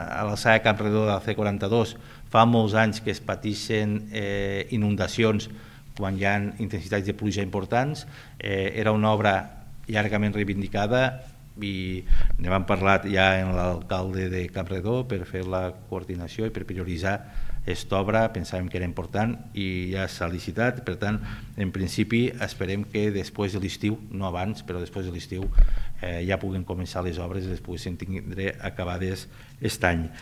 A l'alçada de Campredó de la C42 fa molts anys que es pateixen inundacions quan hi ha intensitats de pluja importants. Era una obra llargament reivindicada i ne vam parlar ja amb l'alcalde de Campredó per fer la coordinació i per prioritzar aquesta obra. Pensàvem que era important i ja s'ha licitat. Per tant, en principi esperem que després de l'estiu, no abans, però després de l'estiu ja puguen començar les obres i les puguin tindre acabades aquest any.